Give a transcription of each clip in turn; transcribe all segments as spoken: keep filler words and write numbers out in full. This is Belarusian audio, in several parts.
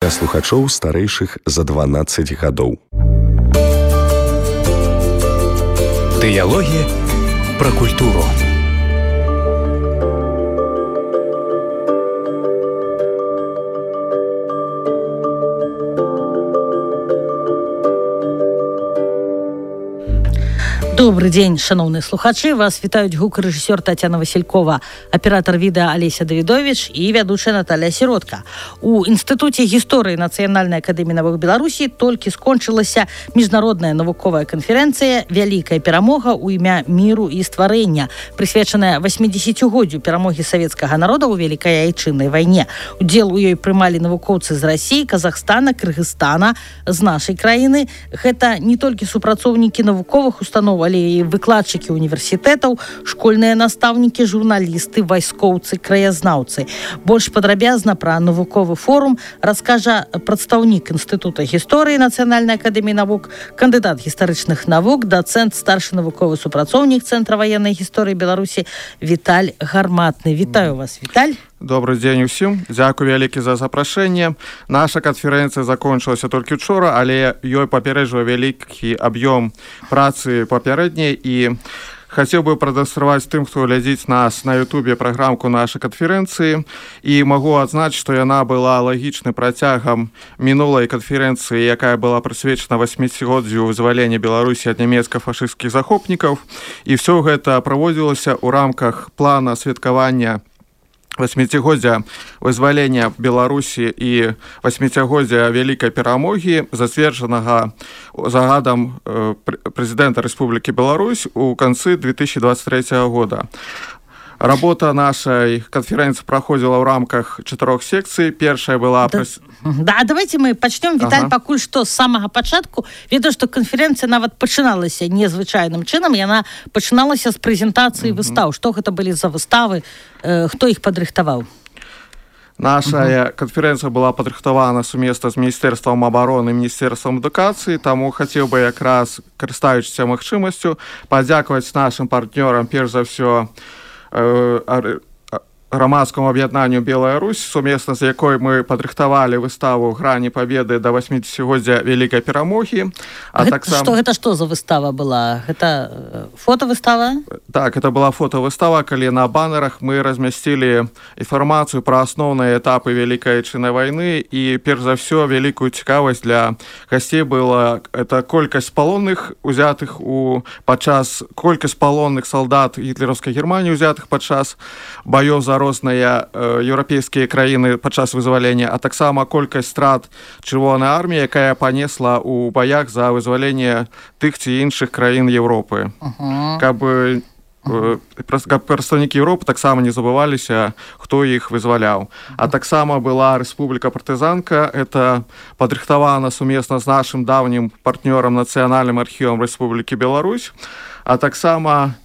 для слухачоў старэйшых за дванаццаць гадоў. Дыялогі пра культуру. Добрый дзень, шановныя слухачы. Вас вітаюць гукарэжысёр Тацяна Васількова, аператор відэа Алеся Давідович і вядучая Наталья Сіротка. У Інстытуце гісторыі Нацыянальнай акадэміі навук Беларусі толькі скончылася міжнародная навуковая канферэнцыя «Вялікая перамога ў імя міру і стварэння», прысвечаная васьмідзесяцігоддзю перамогі савецкага народа ў Вялікай айчыннай вайне. Удзел у ёй прымалі навукоўцы з Расіі, Казахстана, Кыргызстана, з нашай краіны. Гэта не толькі супрацоўнікі навуковых устаноў, але і выкладчыкі універсітэтаў, школьныя настаўнікі, журналісты, вайскоўцы, краязнаўцы. Больш падрабязна пра навуковы форум раскажа прадстаўнік Інстытута гісторыі Нацыянальнай акадэміі навук, кандыдат гістарычных навук, дацэнт, старшы навуковы супрацоўнік Цэнтра ваеннай гісторыі Беларусі Віталь Гарматны. Вітаю вас, Віталь. Добрый дзень усім. Дзякуй вялікі за запрашэнне. Наша канферэнцыя закончылася толькі учора, але ёй папярэджвае вялікі аб'ём працы папярэдняй, і хацеў бы прадэманстраваць тым, хто глядзіць нас на ютубе праграмку нашай канферэнцыі, і магу адзначыць, што яна была лагічным працягам мінулай канферэнцыі, якая была прысвечана васьмідзесяцігоддзю вызвалення Беларусі ад нямецка-фашысцкіх захопнікаў, і ўсё гэта праводзілася ў рамках плана святкавання васьмідзесяцігоддзя вызвалення Беларусі і васьмідзесяцігоддзя Вялікай перамогі, зацверджанага загадам прэзідэнта Рэспублікі Беларусь у канцы две тысячи двадцать третьего года. Работа нашай канферэнцыі праходзіла ў рамках чатырох секцый. Першая была... Да, да давайте мы пачнём, Віталь, ага. пакуль што з самага пачатку. Ведаю, што канферэнцыя нават пачыналася незвычайным чынам. Яна пачыналася з прэзентацыі uh-huh. выстаў. Што гэта былі за выставы? Э, хто іх падрыхтаваў? Наша uh-huh. канферэнцыя была падрыхтавана сумесна з Міністэрствам абароны і Міністэрствам адукацыі, таму хацеў бы якраз, карыстаючыся магчымасцю, падзякаваць нашым партнёрам, перш за ўсё, грамадскому аб'яднанню «Белая Русь», сумесна з якой мы падрыхтавалі выставу «Грані Пабеды» да васьмідзесяцігоддзя Вялікай перамогі. А гэта, так сам... што, гэта што за выстава была? Гэта фотовыстава? Так, это была фотовыстава, калі на баннерах мы размясцілі інфармацыю пра асноўныя этапы Вялікай айчыннай вайны, і перш за ўсё вялікую цікавасць для гасцей была это колькасць палонных узятых у падчас колькасць палонных салдат гітлераўскай Германіі узятых падчас баёў за розныя э, еўрапейскія краіны падчас вызвалення, а таксама колькасць страт чырвонай арміі, якая панесла ў баях за вызваленне тых ці іншых краін Еўропы. Uh-huh. Каб, э, каб прадстаўнікі Еўропы таксама не забываліся, хто іх вызваляў. А таксама была Рэспубліка партызанка, это падрыхтавана сумесна з нашым давнім партнёрам Нацыянальным архівам Рэспублікі Беларусь, а таксама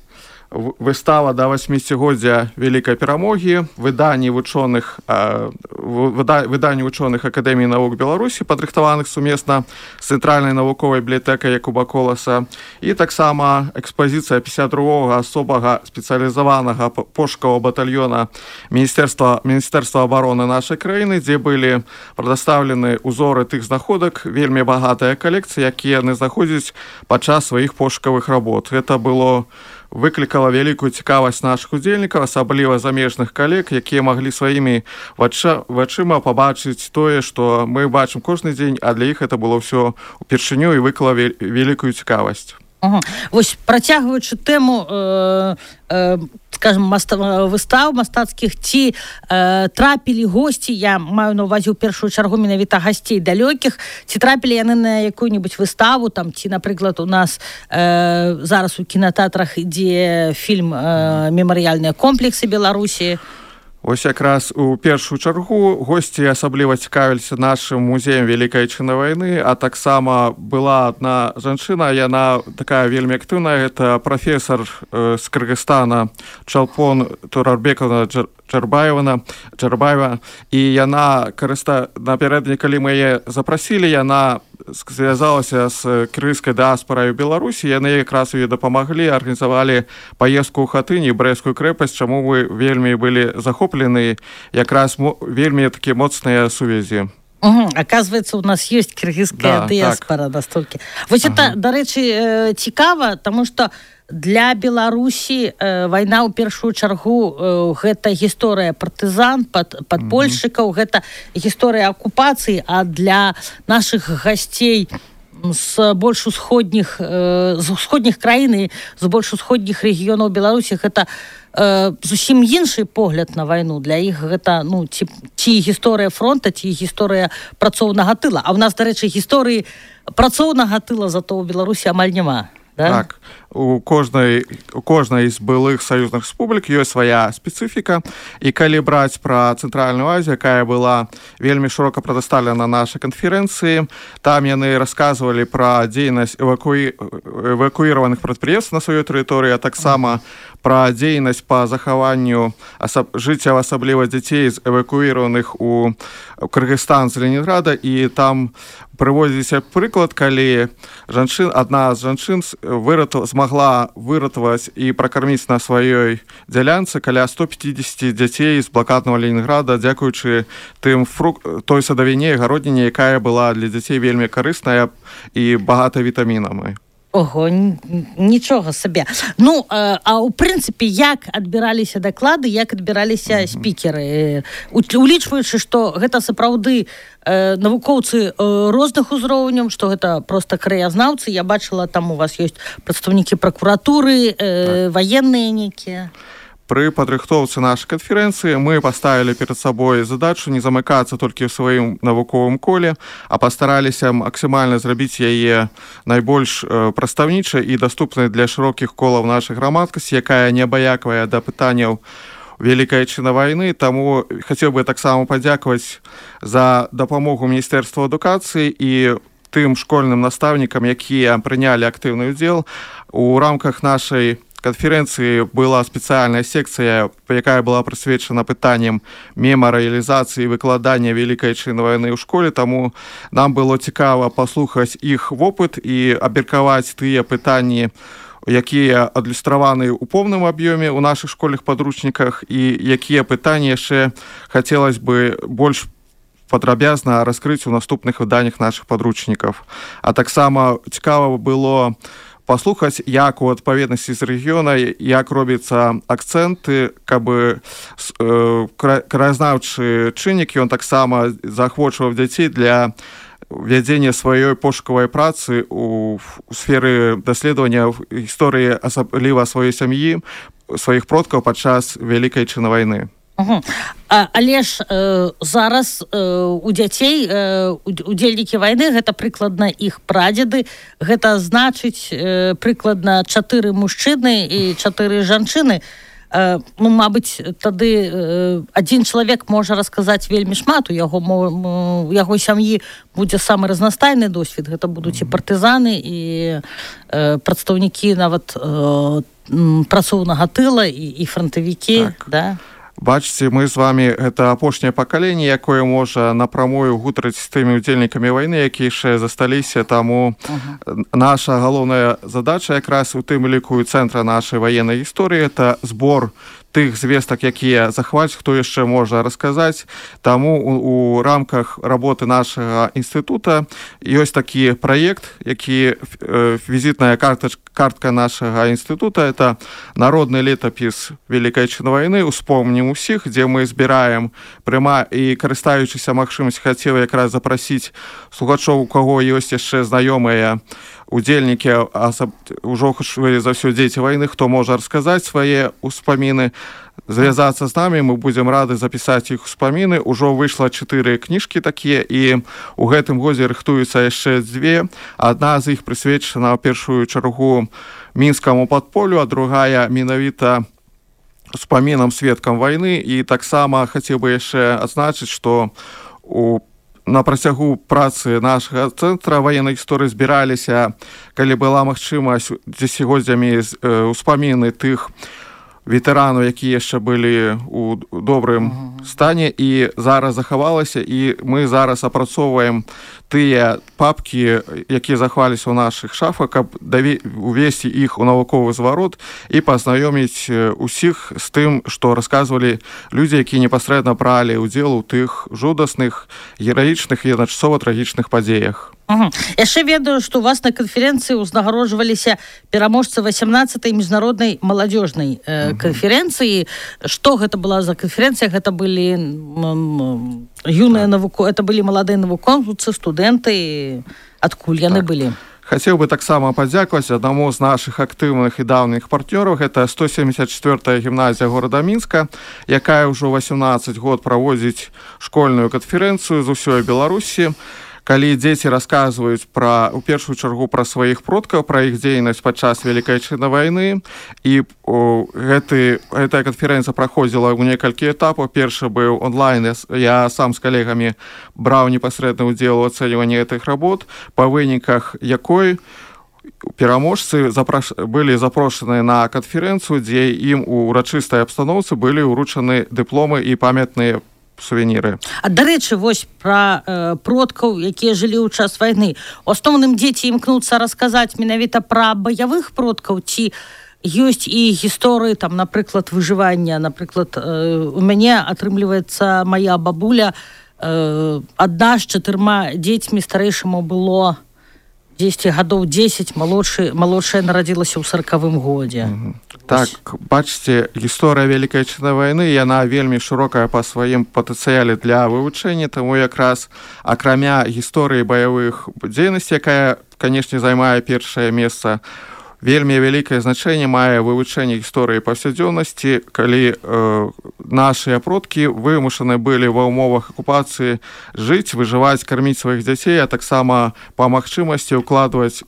выстава да васьмідзесяцігоддзя Вялікай перамогі, выданні вучоных э, выда, выданні вучоных Акадэміі навук Беларусі, падрыхтаваных сумесна з Цэнтральнай навуковай бібліятэкай Якуба Коласа, і таксама экспазіцыя пятьдесят другога асобага спецыялізаванага пошукавага батальёна Міністэрства Міністэрства абароны нашай краіны, дзе былі прадастаўлены узоры тых знаходак, вельмі багатая калекцыя, якія яны знаходзяць падчас сваіх пошукавых работ. Гэта было выклікала вялікую цікавасць нашых удзельнікаў, асабліва замежных калег, якія маглі сваімі вачыма пабачыць тое, што мы бачым кожны дзень, а для іх это было ўсё упершыню і выклала вялікую цікавасць. Угу. Вось, працягваючы тэму э, э, скажем, маста, выстаў мастацкіх, ці э, трапілі госці, я маю на ўвазе ў першую чаргу менавіта гасцей далёкіх, ці трапілі яны на якую-нибудь выставу, там, ці, напрыклад, у нас э, зараз у кінатэатрах ідзе фільм э, «Мемарыяльныя комплексы Беларусі». Ось якраз у першую чаргу госці асабліва цікавіліся нашым музеем Вялікай айчыннай вайны, а таксама была адна жанчына, яна такая вельмі актыўная, гэта прафесор э, з Кыргызстана Чалпон Турарбековна Джарбаева, Джарбаева, і яна карыста напярэдадні, калі мы яе запрасілі, яна звязалася з кыргызскай дыаспарай у Беларусі, яны якраз ёй дапамаглі, арганізавалі паездку ў Хатынь і Брэсцкую крэпасць, чаму мы вельмі былі захоплены, якраз вельмі такія моцныя сувязі. Угу. Оказывается, у нас есть кыргызская да, диаспора так. настолько. Вось ага. это, дарэчы, цікава, тому што для Беларусі э, вайна ў першую чаргу э, гэта гісторыя партызан, пад, падпольшчыкаў, mm-hmm. гэта гісторыя акупацыі, а для нашых гасцей з больш усходніх э, з усходніх краін і з больш усходніх рэгіёнаў Беларусі гэта э, зусім іншы погляд на вайну. Для іх гэта ну ці, ці гісторыя фронта, ці гісторыя працоўнага тыла. А ў нас, дарэчы, гісторыі працоўнага тыла зато ў Беларусі амаль няма. Да? Так, у кожнай, у кожнай з былых саюзных рэспублік ёсць свая спецыфіка, і калі браць пра Цэнтральную Азію, якая была вельмі шырока прадастаўлена на нашай канферэнцыі, там яны расказвалі пра дзейнасць эвакуі... эвакуіраваных прадпрыемстваў на сваёй тэрыторыі, а таксама пра дзейнасць па захаванню асаб... жыцця, асабліва дзяцей з эвакуіраваных у Кыргызстан з Ленінграда, і там прыводзіся прыклад, калі жанчын, адна з жанчын вырату, змагла выратаваць і пракарміць на сваёй дзялянцы каля сто пятьдесят дзяцей з блакаднага Ленінграда, дзякуючы тым фрук... той садавіне і гародніне, якая была для дзяцей вельмі карысная і багата вітамінамі. Ого, нічога сабе. Ну, а ў прынцыпе, як адбіраліся даклады, як адбіраліся mm-hmm. спікеры? Улічваючы, што гэта сапраўды э, навукоўцы э, розных узроўняў, што гэта проста краязнаўцы. Я бачыла, там у вас ёсць прадстаўнікі пракуратуры, э, так. ваенныя нейкія. Пры падрыхтоўцы нашай канферэнцыі мы паставілі перад сабой задачу не замыкацца толькі ў сваім навуковым коле, а пастараліся максімальна зрабіць яе найбольш э, прадстаўнічай і даступнай для шырокіх колаў нашай грамадскасці, якая не абыякавая да пытанняў Вялікай Адчыны вайны. Таму хацеў бы таксама падзякаваць за дапамогу Міністэрства адукацыі і тым школьным настаўнікам, якія прынялі актыўны ўдзел. У рамках нашай канферэнцыі была спецыяльная секцыя, якая была прысвечана пытанням мемарыялізацыі і выкладання Вялікай Адчыны вайны ў школе, таму нам было цікава паслухаць іх вопыт і абмеркаваць тыя пытанні, якія адлюстраваны ў поўным аб'ёме ў нашых школьных падручніках, і якія пытанні яшчэ хацелось бы больш падрабязна раскрыць у наступных выданнях нашых падручнікаў. А таксама цікава было паслухаць, як у адпаведнасці з рэгіёна, як робіцца акцэнты, каб э, краязнаўчы чыннік, ён таксама заахвочваў дзяцей для вядзення сваёй пошукавай працы у, у сферы даследавання гісторыі, асабліва сваёй сям'і, сваіх продкаў падчас Вялікай Адчыны вайны. Угу. А, але ж э, зараз э, у дзяцей э, удзельнікі вайны гэта прыкладна іх прадзеды, гэта значыць э, прыкладна чатыры мужчыны і чатыры жанчыны. Э, ну, мабыць, тады э, адзін чалавек можа расказаць вельмі шмат, у яго, у яго сям'і будзе самы разнастайны досвед. Гэта будуць і партызаны, і э, прадстаўнікі нават э, працоўнага тыла, і, і франтавікі, так. Да? Бачыце, мы з вами гэта апошняе пакаленне, якое можа напрамую гутарыць з тымі удзельнікамі вайны, якія яшчэ засталіся, таму uh-huh. наша галоўная задача якраз у тым ліку і цэнтра нашай ваеннай гісторыі — это збор тых звестак, якія захвацяць, хто яшчэ можа расказаць. Таму у, у рамках работы нашага інстытута ёсць такі праект, які э, візітная картач, картка нашага інстытута. Это народны летапіс Вялікай Адчыны вайны «Успомнім усіх», дзе мы збіраем пряма і, карыстаючыся магчымасцю, хацеў якраз запрасіць слухачоў, у каго ёсць яшчэ знаёмыя удзельнікі, асаб... ужо за ўсё дзеці вайны, хто можа расказаць свае ўспаміны, звязацца з намі, мы будзем рады запісаць іх успаміны. Ужо выйшла чатыры кніжкі такія, і ў гэтым годзе рыхтуюцца яшчэ дзве. Адна з іх прысвечана ў першую чаргу мінскаму падполю, а другая менавіта успамінам сведкам вайны. І таксама хацеў бы яшчэ адзначыць, што у на працягу працы нашага цэнтра ваеннай гісторыі збіраліся, калі была магчымасць, дзесяцігоддзямі ўспаміны тых ветэранаў, якія яшчэ былі у добрым стане і зараз захавалася, і мы зараз апрацоўваем тыя папкі, якія захаваліся ў нашых шафах, каб увесці іх у навуковы зварот і пазнаёміць усіх з тым, што расказвалі людзі, якія непасрэдна бралі ўдзел у тых жудасных, гераічных і адначасова трагічных падзеях. Угу. Яшчэ ведаю, што у вас на канферэнцыі ўзнагароджваліся пераможцы васямнаццатай міжнароднай маладзёжнай э, канферэнцыі. Што гэта была за канферэнцыя? Гэта былі м, юныя навуко... это былі маладыя навукоўцы, студэнты. Адкуль яны так. былі? Хацеў бы таксама падзякаваць аднаму з нашых актыўных і даўніх партнёраў. Гэта сто семьдесят четвёртая гімназія горада Мінска, якая ўжо васямнаццаць год праводзіць школьную канферэнцыю з усёй Беларусі. Калі дзеці расказваюць пра, у першую чаргу пра сваіх продкаў, пра іх дзейнасць падчас Вялікай Адчайнай вайны, і о, гэты, гэтая канферэнцыя праходзіла ў некалькі этапаў. Першы быў онлайн, я, я сам з калегамі браў непасрэдны ўдзел у ацэньванні гэтых работ, па выніках якой пераможцы запраш... былі запрошаны на канферэнцыю, дзе ім у урачыстай абстаноўцы былі ўручаны дыпломы і памятныя сувеніры. А дарэчы, вось пра э, продкаў, якія жылі ў час вайны. У асноўным дзеці імкнуцца расказаць менавіта пра баявых продкаў, ці ёсць і гісторыі, там, напрыклад, выжывання. Напрыклад, э, у мяне атрымліваецца моя бабуля э, адна з чатырма дзецьмі, старэйшаму было дзесяць гадоў дзесяць, малодшы, малодшая нарадзілася ў саракавым годзе. Mm-hmm. Так, бачыце, гісторыя Вялікай Адчайнай вайны, яна вельмі шырокая па сваім патэнцыяле для вывучэння, таму якраз акрамя гісторыі баявых дзейнасцей, якая, канешне, займае першае месца, вельмі вялікае значэнне мае вывучэнне гісторыі паўсядзённасці, калі э, нашыя продкі вымушаны былі ва ўмовах акупацыі жыць, выжываць, карміць сваіх дзяцей, а таксама па магчымасці ўкладваць,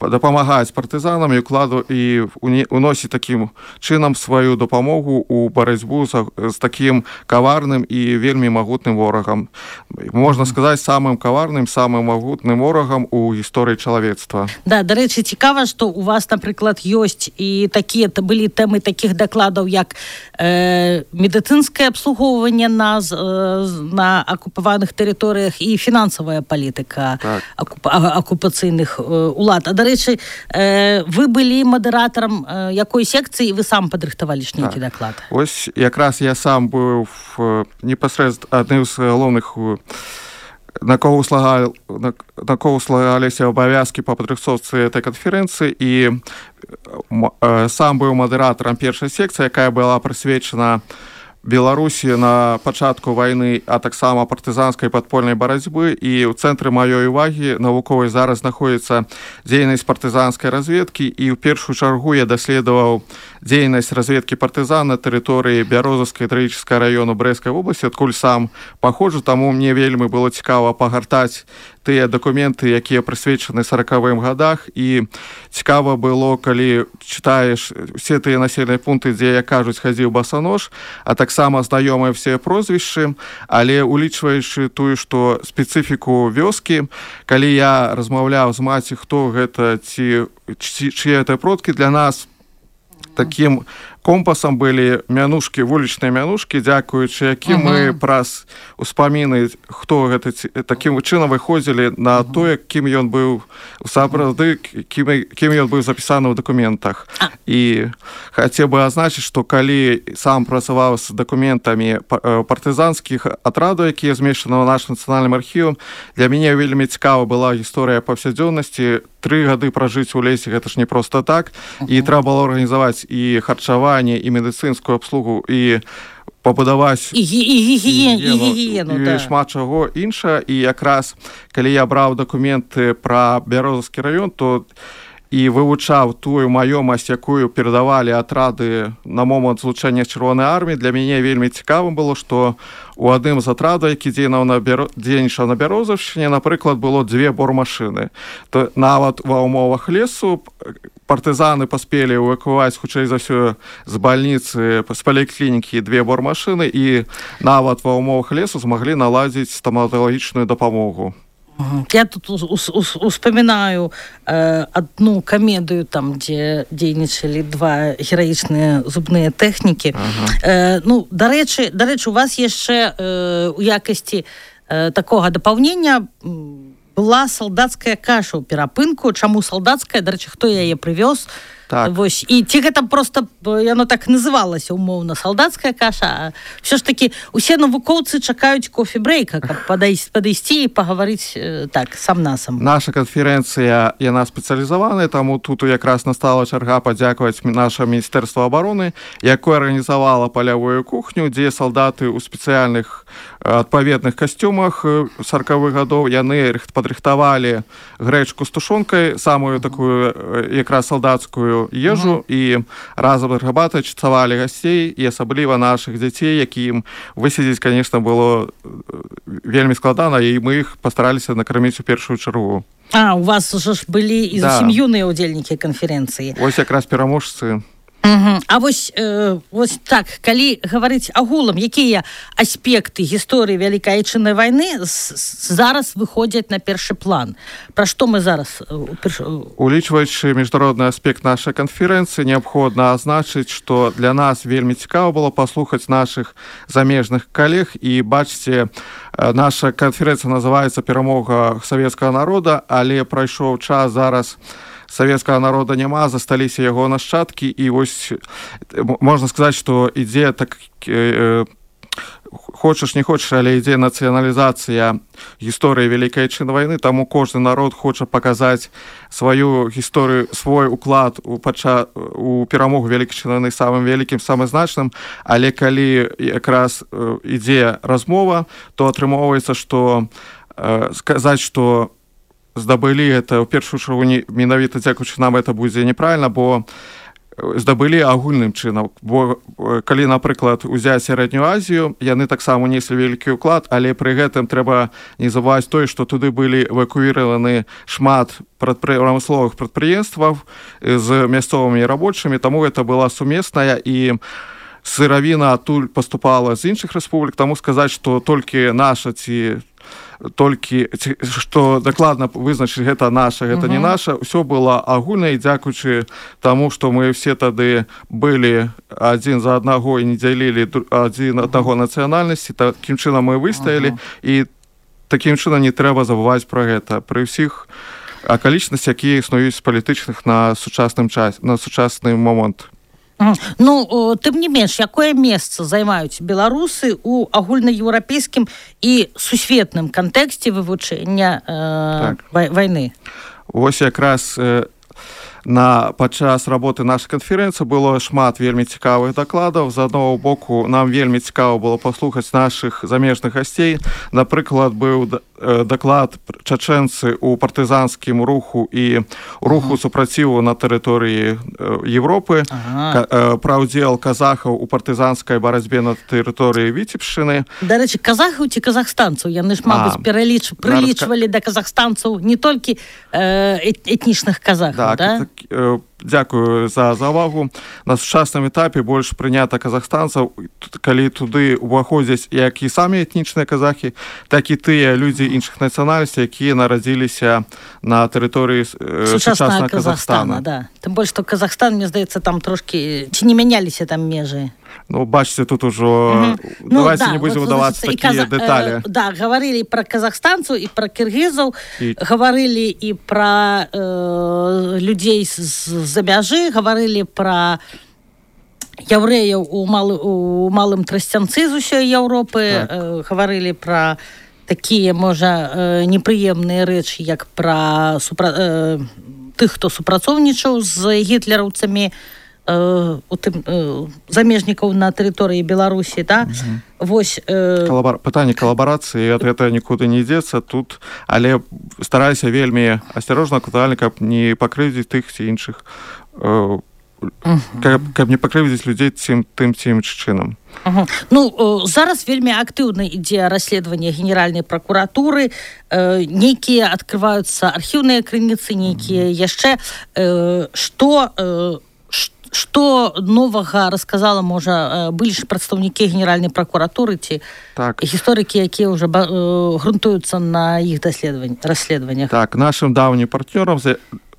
дапамагаць партызанам і укладу і уносіць такім чынам сваю дапамогу ў барацьбу з, з такім каварным і вельмі магутным ворагам. Можна сказаць, самым каварным, самым магутным ворагам у гісторыі чалавецтва. Да, дарэчы, цікава, што у вас, напрыклад, ёсць і такія былі тэмы такіх дакладаў, як э, медыцынскае абслугоўванне на, э, на акупаваных тэрыторыях і фінансавая палітыка так. акуп, акупацыйных э, улад. А дарэчы, Э, вы былі мадэратарам э, якой секцыі, вы сам падрыхтавалі ж нейкі так. даклад? Ось якраз я сам быў непасрэдна адным з галоўных накоўслагаліся абавязкі па падрыхтоўцы этой канферэнцыі, і э, сам быў мадэратарам першай секцыі, якая была прысвечана Беларусі на пачатку вайны, а таксама партызанскай падпольнай барацьбы, і ў цэнтры маёй увагі навуковай зараз знаходзіцца дзейнасць партызанскай разведкі, і ў першую чаргу я даследаваў дзейнасць разведкі партызан на тэрыторыі Бярозаўскай трагічнага раёну Брэсцкай вобласці, адкуль сам паходжу, таму мне вельмі было цікава пагартаць тыя дакументы, якія прысвечаны саракавым гадах, і цікава было, калі чытаеш усе тыя населеныя пункты, дзе, як кажуць, хадзіў басанож, а таксама знаёмыя все прозвішчы, але улічваючы тую, што спецыфіку вёскі, калі я размаўляў з маці, хто гэта, ці чые гэта продкі, для нас такім компасам былі мянушкі, вулічныя мянушкі, дзякуючы якім uh-huh. мы праз успаміны, хто гэта, такім чынам выходзілі на uh-huh. тое, кім ён быў сапраўды, кім, кім ён быў запісаны ў дакументах. Uh-huh. І хацеў бы азначыць, што калі сам працаваў з дакументамі партызанскіх атрадаў, якія змешчаны ў нашым нацыянальным архівам, для мяне вельмі цікава была гісторыя паўсядзённасці. Тры гады пражыць у лесе, гэта ж не проста так, uh-huh. і трэба было арганізаваць і харчаванне, і медыцынскую абслугу, і пабудаваць і, і, і, гігіену, і, гігіену, і да. шмат чаго інша. І якраз, калі я браў дакументы пра Бярозаўскі раён, то і вывучаў тую маёмасць, якую перадавалі атрады на момант злучэння з Чырвонай арміі, для мяне вельмі цікавым было, што у адным з атрадаў, які дзейнічаў на Бярозаўшчыне, напрыклад, было дзве бормашыны. То нават ва ўмовах лесу партызаны паспелі эвакуаваць, хутчэй за ўсё, з бальніцы, з паліклінікі две бормашыны, і нават ва ўмовах лесу змаглі наладзіць стаматалагічную дапамогу. Я тут успоминаю э, одну комедию, там, где дзейнічалі два гераічныя зубныя тэхнікі. Ага. Э, ну, дарэчы, дарэчы, у вас яшчэ э, у якасці э, такога дапаўнення была салдацкая каша ў перапынку. Чаму салдацкая? Дарэчы, хто яе прывёз? Так. Вось. І ці гэта просто яно так называлася умоўна салдацкая каша, а все ж таки усе навукоўцы чакаюць кофе-брейка, каб падысці і пагаварыць так сам-насам. Наша канферэнцыя, яна спецыялізаваная, таму тут якраз настала чарга падзякаваць наша Міністэрства абароны, якое арганізавала палявую кухню, дзе салдаты ў спецыяльных адпаведных касцюмах сарковых гадоў, яны падрыхтавалі грэчку з тушонкай, самую такую якраз салдацкую ежу, і разам гарбатай чацавалі гасцей, і асабліва нашых дзяцей, якім высядзець, конечно, было вельмі складана, і мы іх пастараліся накарміць у першую чаргу. А, у вас уже ж былі і зусім юныя ўдзельнікі канферэнцыі. Вось якраз пераможцы. Угу. А вось, э, вось так, калі гаварыць агулам, якія аспекты гісторыі Вялікай Айчыннай вайны зараз выходзяць на першы план? Пра што мы зараз? Улічваючы міжнародны аспект нашай канферэнцыі, неабходна азначыць, што для нас вельмі цікава было паслухаць нашых замежных калег, і бачце, наша канферэнцыя называецца «Перамога савецкага народа», але прайшоў час, зараз савецкага народа няма, засталіся яго нашчадкі, і вось можна сказаць, што ідзе так, э, хочаш не хочаш, але ідзе нацыяналізацыя гісторыі Вялікай Айчыннай вайны, таму кожны народ хоча паказаць сваю гісторыю, свой уклад у, пача... у перамогу Вялікай Айчыннай вайны самым вялікім, самым значным, але калі якраз э, ідзе размова, то атрымоўваецца, што э, сказаць, што здабылі это ў першую чаргу менавіта дзякуючы нам это будзе неправільна, бо здабылі агульным чынам, бо калі, напрыклад, узяць сярэднюю Азію, яны таксама неслі вялікі ўклад, але пры гэтым трэба не забываць тое, што туды былі эвакуіраваны шмат прамысловых прадпрыемстваў з мясцовымі рабочымі, таму гэта была сумесная, і сыравіна адтуль паступала з іншых рэспублік, таму сказаць, што толькі наша ці толькі, што дакладна вызначыць гэта наша, гэта uh-huh. не наша, ўсё было агульна, і дзякуючы таму, што мы все тады былі адзін за аднаго і не дзялілі адзін аднаго нацыянальнасці, такім чынам мы выстаялі, uh-huh. і такім чынам не трэба забываць пра гэта пры ўсіх акалічнасцях, якія існуюць палітычных на сучасным час, на сучасны момант. Ну, тым не менш, якое месца займаюць беларусы ў агульнаеўрапейскім і сусветным кантэксце вывучэння э, так. вайны? Вось якраз э, на падчас работы нашай канферэнцыі было шмат вельмі цікавых дакладаў. З аднаго боку, нам вельмі цікава было паслухаць нашых замежных гасцей. Напрыклад, быў даклад чачэнцы ў партызанскім руху і руху ага. супраціву на тэрыторыі Европы, ага. пра ўдзел казахаў у партызанскай барацьбе на тэрыторыі Віцебшчыны. Дарэчы, казахаў ці казахстанцаў? Яны ж, мабыць, пераліч... прылічвалі да казахстанцаў не толькі э, этнічных казахаў, так, да? Так, э, дзякую за завагу. На сучасным этапе больш прынята казахстанцаў, калі туды ўваходзяць як і самі этнічныя казахі, так і тыя людзі іншых нацыянальнасцей, якія нарадзіліся на тэрыторыі э, сучаснага Казахстана. Да. Тым больш, што Казахстан, мне здаецца, там трошкі ці не мяняліся там межы. Ну, бачыце, тут ужо... Mm-hmm. Давайте ну, да, не будзем удавацца вот, такія каза... дэталі. Э, да, гаварылі пра казахстанцаў і пра кіргізаў, і... гаварылі і пра э, людзей з-за мяжы, гаварылі пра яўрэяў у, малы, у малым Трасцянцы з усёй Еўропы, так. э, гаварылі пра такія, можа, э, непрыемныя рэчы, як пра супра... э, тых, хто супрацоўнічаў з гітлераўцамі, у тым э, замежнікаў на тэрыторыі Беларусі, да? Mm-hmm. Вось э... Калабар... пытанне калабарацыі, ад гэта нікуды не ідзецца тут, але стараюся вельмі асцярожна, актуальна, каб не пакрыўдзіць тых ці іншых э, mm-hmm. каб, каб не пакрыўдзіць людзей цім, тым ці іншым чынам. Uh-huh. Ну, э, зараз вельмі актыўна ідзе расследаванне генеральнай пракуратуры, э, нейкія адкрываюцца архіўныя крыніцы, нейкія mm-hmm. яшчэ э, што э, Што новага расказала, можа, былі ж прадстаўнікі генеральнай пракуратуры ці так. гісторыкі, якія ўжо грунтуюцца на іх расследаваннях? Так, нашым даўнім партнёрам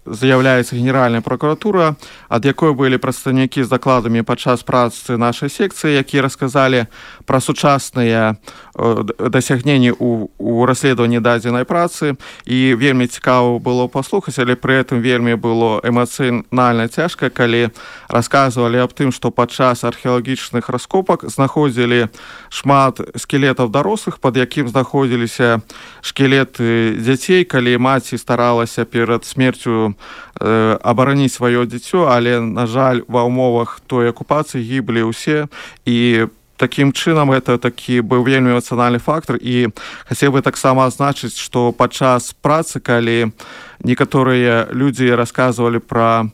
з'яўляецца генеральная пракуратура, ад якой былі прадстаўнікі з дакладамі падчас працы нашай секцыі, якія расказалі пра сучасныя дасягненні ў, ў расследаванні дадзенай працы, і вельмі цікава было паслухаць, але пры гэтым вельмі было эмацыянальна цяжка, калі расказвалі аб тым, што падчас археалагічных раскопак знаходзілі шмат скелетаў дарослых, пад якім знаходзіліся шкелеты дзяцей, калі маці старалася перад смерцю абараніць сваё дзіцё, але, на жаль, ва ўмовах той акупацыі гіблі ўсе, і такім чынам это такі быў вельмі эмацыянальны фактор. І хацеў бы таксама адзначыць, што падчас працы, калі некаторыя людзі расказвалі пра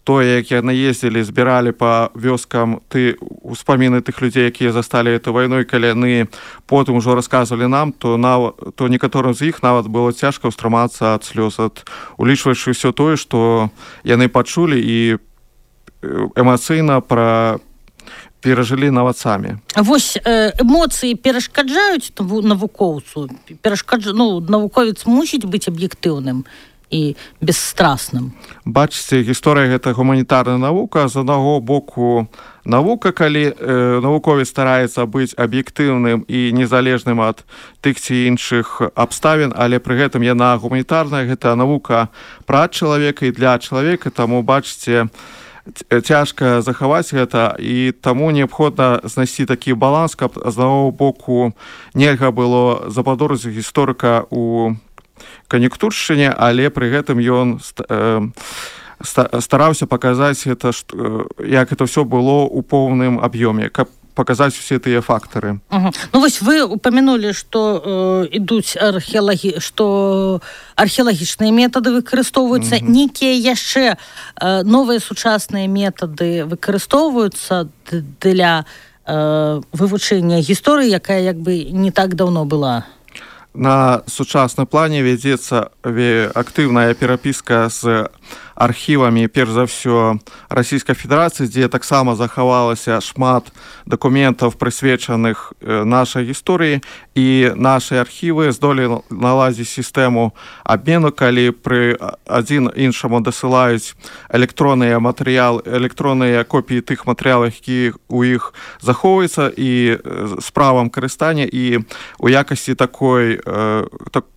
тое, як яны ездзілі, збіралі па вёскам ты успаміны тых людзей, якія засталі эту вайну, і калі яны потым ужо расказвалі нам, то, нав... то некаторым з іх нават было цяжка ўстрымацца ад слёз, ад улічваючы ўсё тое, што яны пачулі і эмацыйна пра перажылі нават самі. Вось эмоцыі перашкаджаюць навукоўцу? Перашкадж... Ну, навуковец мусіць быць аб'ектыўным і бесстрасным. Бачыце, гісторыя гэта гуманітарная навука. З аднаго боку навука, калі э, навуковец стараецца быць аб'ектыўным і незалежным ад тых ці іншых абставін, але пры гэтым яна гуманітарная, гэта навука пра чалавека і для чалавека, таму бачыце, цяжка захаваць гэта, і таму неабходна знайсці такі баланс, каб з аднаго боку нельга было западозрыць гісторыка у кан'юнктуршчыне, але пры гэтым ён стараўся паказаць гэта, як это ўсё было ў поўным аб'ёме, каб паказаць усе тыя фактары. Угу. Ну вось вы упамянулі, што э, ідуць археалагі... што археалагічныя метады выкарыстоўваюцца. Угу. Нейкія яшчэ э, новыя сучасныя метады выкарыстоўваюцца для э, вывучэння гісторыі, якая як бы не так даўно была? На сучасным плане вядзецца актыўная перапіска з архівамі, перш за ўсё, Расійскай Федэрацыі, дзе таксама захавалася шмат дакументаў, прысвечаных нашай гісторыі, і нашы архівы здолелі наладзіць сістэму абмену, калі пры адзін іншаму дасылаюць электронныя матэрыялы, электронныя копіі тых матэрыялаў, які у іх захоўваюцца, і з правам карыстання, і у якасці такой так,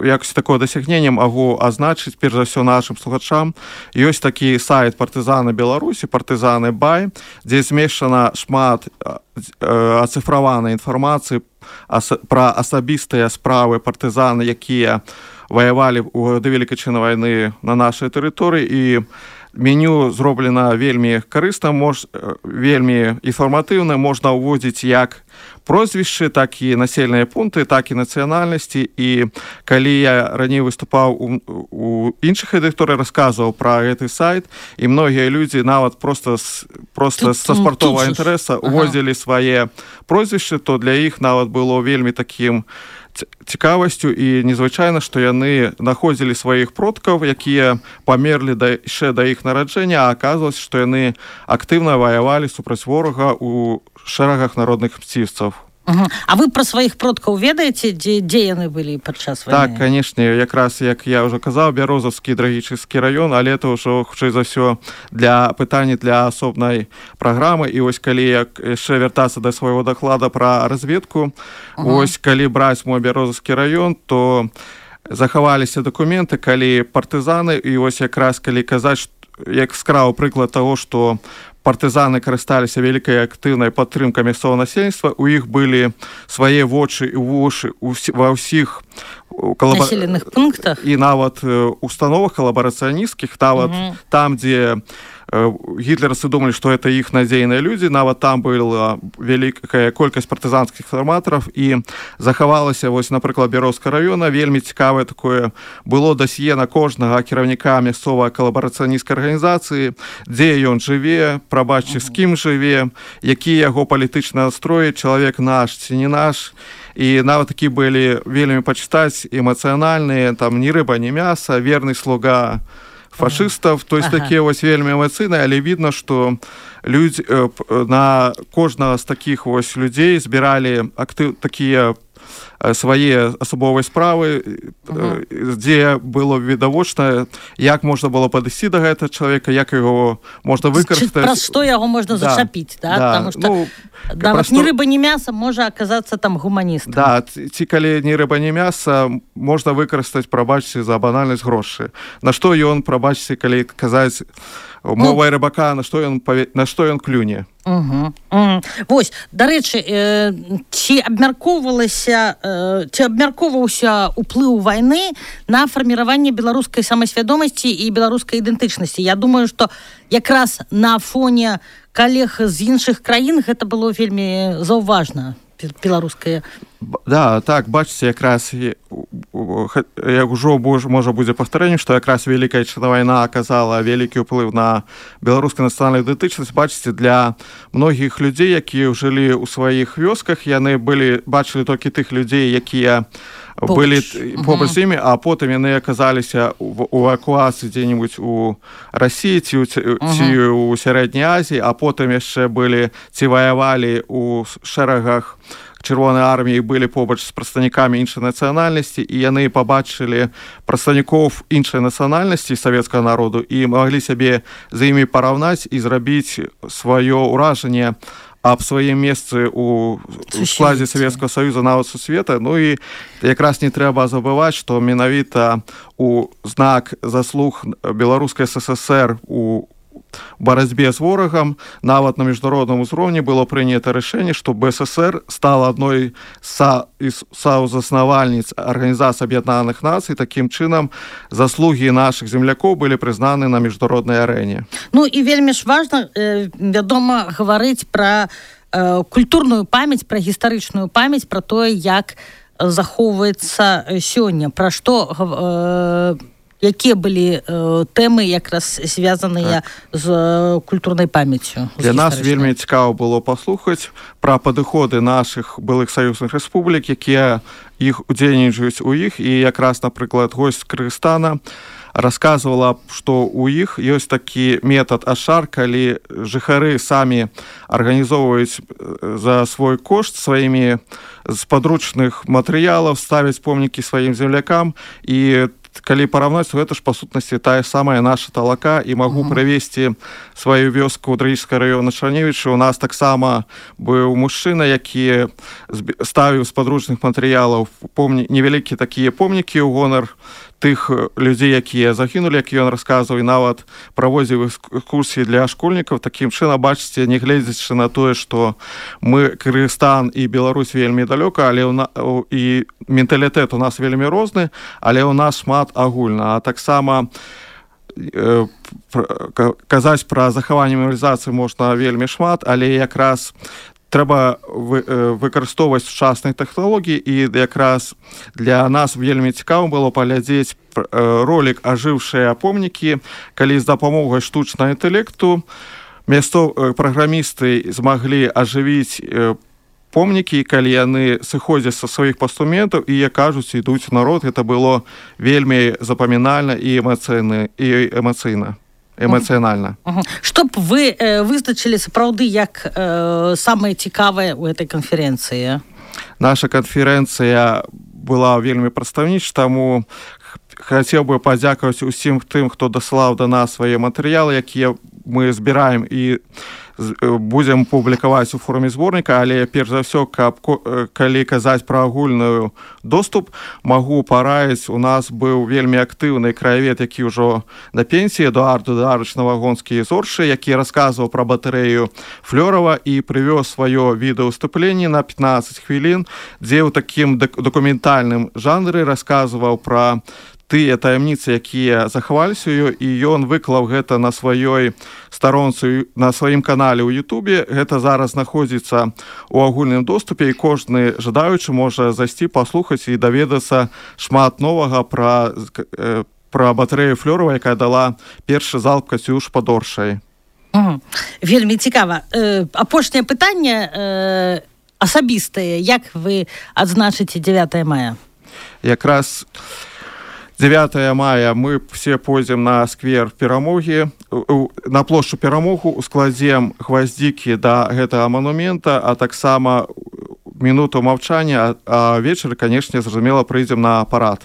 якасці такое дасягнення магу азначыць перш за ўсё нашым слухачам. Ёсць такі сайт партызаны Беларусі, партызаны бай, дзе змешчана шмат ацыфраванай інфармацыі пра асабістыя справы партызаны, якія ваявалі ў гады Вялікай Адчайнай вайны на нашай тэрыторыі, і меню зроблена вельмі карысна, мож, вельмі інфарматыўна, можна ўводзіць як прозвішчы, так і населеныя пункты, так і нацыянальнасці. І калі я раней выступаў у, у іншых рэдакторах, расказваў пра гэты сайт, і многія людзі нават проста, проста са спартовага інтарэса уводзілі ага. свае прозвішчы, то для іх нават было вельмі такім цікавасцю і незвычайна, што яны знаходзілі сваіх продкаў, якія памерлі да, яшчэ да іх нараджэння, а аказвалася, што яны актыўна ваявалі супраць ворага ў шэрагах народных мсціўцаў. Угу. А вы пра сваіх продкаў ведаеце, дзе, дзе яны былі падчас вайны? Так, канешне, якраз, як я ўжо казаў, Бярозаўскі трагічны раён, але это ўжо, хутчэй за ўсё, для пытання для асобнай праграмы. І вось калі як яшчэ вяртацца да свайго даклада пра разведку, угу. вось калі браць мой Бярозаўскі раён, то захаваліся дакументы, калі партызаны, і вось якраз калі казаць, як скраў прыклад таго, што партызаны карысталіся вялікай актыўнай падтрымкай мясцовага насельніцтва, у іх былі свае вочы і вушы ва ўсіх калаба... населеных пунктах і нават установах калабарацыянісцкіх, нават угу. там, дзе гітлерцы думалі, што это іх надзейныя людзі, нават там была вялікая колькасць партызанскіх фарматараў, і захавалася, вось, напрыклад, Бярозаўскага раёна, вельмі цікавае такое было дасье на кожнага кіраўніка мясцовай калабарацыянісцкай арганізацыі, дзе ён жыве, прабачце, з кім жыве, які яго палітычны настрой, чалавек наш ці не наш. І нават такі былі вельмі пачытаць эмацыянальныя, там ні рыба, ні мяса, верны слуга фашыстаў, то есть ага. такія вось вельмі эмацыйныя, але відно, што людзі на кожнага з такіх вось людзей збіралі актыў такія свае асабовыя справы, uh-huh. дзе было відавочна, як можна было падысці да гэтага чалавека, як яго можна выкарыстаць. Пра што яго можна да. зачапіць, да? Да. Потому што ну, нават ні рыба, ні мяса можа аказацца там гуманістам. Да, ці калі ні рыба, ні мяса можна выкарыстаць, прабачце, за банальнасць грошы. На што ён, прабачце, калі казаць мовай ну, рыбака, на што ён, на што ён клюне. Угу. Угу. Вось, дарэчы, э, ці абмяркоўвалася, э, ці абмяркоўваўся ўплыў вайны на фарміраванне беларускай самасвядомасці і беларускай ідэнтычнасці? Я думаю, што якраз на фоне калег з іншых краін гэта было вельмі заўважна, беларускае. Да, так, бачыце, якраз як ужо можа будзе паўтарэнне, што якраз Вялікая Адчайная вайна аказала вялікі ўплыў на беларускую нацыянальную ідэнтычнасць. Бачыце, для многіх людзей, якія жылі ў сваіх вёсках, яны былі бачылі толькі тых людзей, якія былі побач з імі, а потым яны аказаліся ў эвакуацыі дзе-небудзь у Расіі ці ў Сярэдняй Азіі, а потым яшчэ былі ці ваявалі ў шэрагах Чырвонай арміі, былі побач з прадстаўнікамі іншай нацыянальнасці, і яны пабачылі прадстаўнікоў іншай нацыянальнасці савецкага народу і маглі сябе з імі параўнаць і зрабіць сваё ўражанне аб сваім месцы ў складзе Савецкага Саюза, нават сусвета. Ну і якраз не трэба забываць, што менавіта у знак заслуг беларускай СССР у барацьбе з ворагам, нават на міжнародным узроўні было прынята рашэнне, што БССР стала адной з саўзаснавальніц Арганізацыі Аб'яднаных Нацый. Такім чынам, заслугі нашых землякоў былі прызнаны на міжнароднай арэне. Ну і вельмі ж важна, э, вядома, гаварыць пра э, культурную памяць, пра гістарычную памяць, пра тое, як захоўваецца сёння, пра што э, якія былі э, тэмы якраз звязаныя так. з культурнай памяццю. Для нас вельмі цікава было паслухаць пра падыходы нашых былых саюзных рэспублік, якія іх удзельнічаюць у іх, і якраз, напрыклад, госць Кыргызстана расказвала, што ў іх ёсць такі метад ашар, калі жыхары самі арганізоўваюць за свой кошт сваімі з падручных матэрыялаў, ставяць помнікі сваім землякам, і калі параўнаць, гэта ж па сутнасці тая самая наша Талака, і магу uh-huh. прывесці сваю вёску ў Дрыгічскага раёна Чарневіча. У нас таксама быў мужчына, які ставіў з падручных матэрыялаў помні... невялікія такія помнікі ў гонар тых людзей, якія загінулі, як ён расказваў, і нават праводзіў экскурсіі для школьнікаў. Такім чынам, бачыце, не гледзячы на тое, што мы, Кыргызстан і Беларусь, вельмі далёка, але на... і менталітэт у нас вельмі розны, але ў нас шмат агульна. А таксама э, казаць пра захаванне мемарыялізацыі можна вельмі шмат, але якраз трэба вы, э, выкарыстоўваць сучасныя тэхналогіі, і якраз для нас вельмі цікава было паглядзець э, ролік «Ажыўшыя помнікі», калі з дапамогай штучнага інтэлекту мясцов э, праграмісты змаглі ажывіць э, помнікі, калі яны сыходзяць са сваіх пастаментаў і, як кажуць, ідуць у народ. Гэта было вельмі запамінальна і эмацыйна, і эмацыйна. эмацыянальна. Uh-huh. Uh-huh. Што б вы э, вызначылі сапраўды як э, самае цікавае ў этой канферэнцыі? Наша канферэнцыя была вельмі прадстаўнічая, таму хацеў бы падзякаваць усім тым, хто даслаў да нас свае матэрыялы, якія мы збіраем і будзем публікаваць у форме зборніка, але перш за ўсё, каб калі казаць пра агульную доступ, магу параіць, у нас быў вельмі актыўны краявед, які ўжо на пенсіі, Эдуард Эдуардович Новагонскі з Оршы, які расказваў пра батарэю Флёрава і прывёз сваё відэаўступленне на пятнаццаць хвілін, дзе ў такім дакументальным жанры расказваў пра тыя таямніцы, якія захаваліся ёй, і ён выклаў гэта на сваёй старонцы, на сваім канале ў Ютубе. Гэта зараз знаходзіцца ў агульным доступе, і кожны жадаючы можа зайсці, паслухаць і даведацца шмат новага пра, пра батарэю Флёрава, якая дала першы залп «Кацюш» пад Оршай. Угу. Вельмі цікава. Э, апошняе пытанне э, асабістае. Як вы адзначыце дзевятае мая? Якраз девятого мая мы все пойдзем на сквер Перамогі, на плошчу Перамогу, складзем гваздзікі да гэтага манумента, а таксама минуту маўчання, а вечар, канешне, зразумела, прыйдзем на парад.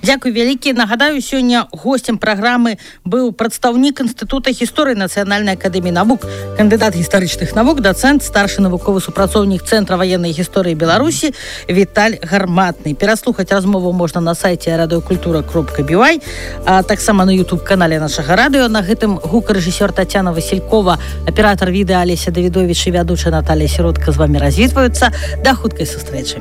Дзякуй вялікі. Нагадаю, сёння гостем праграмы быў прадстаўнік Інстытута гісторыі Нацыянальнай акадэміі навук, кандыдат гістарычных навук, дацэнт, старшы навуковы супрацоўнік Цэнтра ваеннай гісторыі Беларусі Віталь Гарматны. Пераслухаць размову можна на сайце радыёкультура кропка би вай, а таксама на YouTube-канале нашага радыё. На гэтым гукарэжысёр Тацяна Васількова, аператар відэа Алеся Давідовіч і вядучая Наталія Сіротка з вамі развітваюцца. Да хуткай сустрэчы.